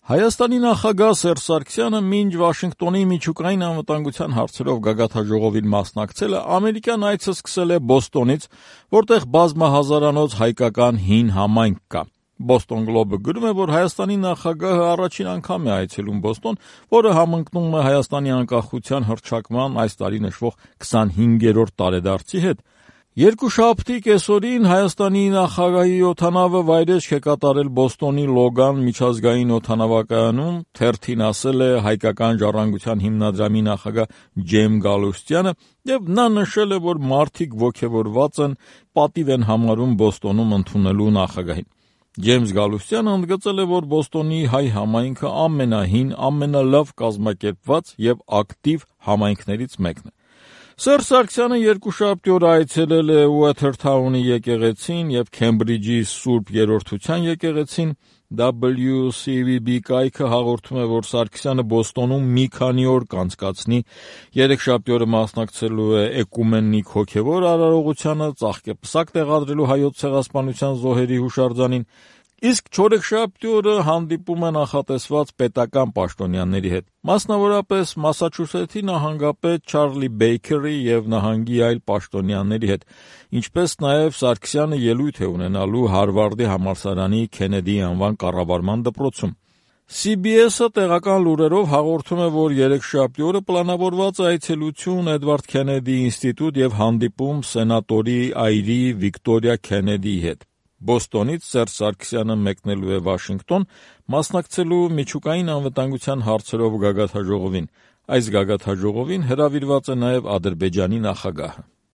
Հայաստանի նախագահ Սերժ Սարգսյանը մինչ Վաշինգտոնի միջուկային անվտանգության հարցերով գագաթնաժողովին մասնակցելը ամերիկյան այցը սկսել է Բոստոնից, որտեղ բազմահազարանոց հայկական հին համայնք կա։ Boston Globe-ը գրում է, որ Հայաստանի նախագահը առաջին անգամ է այցելում Բոստոն, որը համընկնում է Հայաստանի անկախության հռչակման այս տարի նշվող 25-րդ տարեդարձի հետ։ Երկուշաբթի կեսօրին Հայաստանի նախագահի օդանավը վայրեջք է կատարել Բոստոնի Լոգան միջազգային օդանավակայանում, թերթին ասել է հայկական ժառանգության հիմնադրամի նախագահ Ջեյմս Գալուստյանը, եւ նա նշել է, որ մարդիկ ոգևորված են, պատիվ են համարում Բոստոնում ընդունելու նախագահին։ Ջեյմս Գալուստյանը ընդգծել է, որ Բոստոնի հայ համայնքը ամենահին, ամենալավ կազմակերպված եւ ակտիվ համայնքներից մեկն է։ Սերժ Սարգսյանը երկուշաբթի օր այցելել է Ուոթերթաունի եկեղեցին եւ Քեմբրիջի Սուրբ Երրորդության եկեղեցին։ WCVB կայքը հաղորդում է, որ Սարգսյանը Բոստոնում մի քանի օր կանցկացնի, երեքշաբթի օրը մասնակցելու է էկումենիկ հոգևոր արարողությանը, ծաղկեպսակ տեղադրելու հայոց ցեղասպանության զոհերի հուշարձանին, իսկ չորեքշաբթի օրը հանդիպում է նախատեսված պետական պաշտոնյաների հետ, մասնավորապես Մասաչուսեթսի նահանգապետ Չարլի Բեյքերի եւ նահանգի այլ պաշտոնյաների հետ, ինչպես նաեւ Սարգսյանը ելույթ է ունենալու Հարվարդի համալսարանի Քենեդի անվան կառավարման դպրոցում։ CBS-ը տեղական լուրերով հաղորդում է, որ երեքշաբթի օրը պլանավորված է այցելություն Էդվարդ Քենեդի ինստիտուտ եւ հանդիպում սենատորի այրի Վիկտորիա Քենեդիի հետ։ Բոստոնից Սերժ Սարգսյանը մեկնելու է Վաշինգտոն, մասնակցելու միջուկային անվտանգության հարցերով գագաթնաժողովին։ Այս գագաթնաժողովին հրավիրված է նաև Ադրբեջանի նախագահը։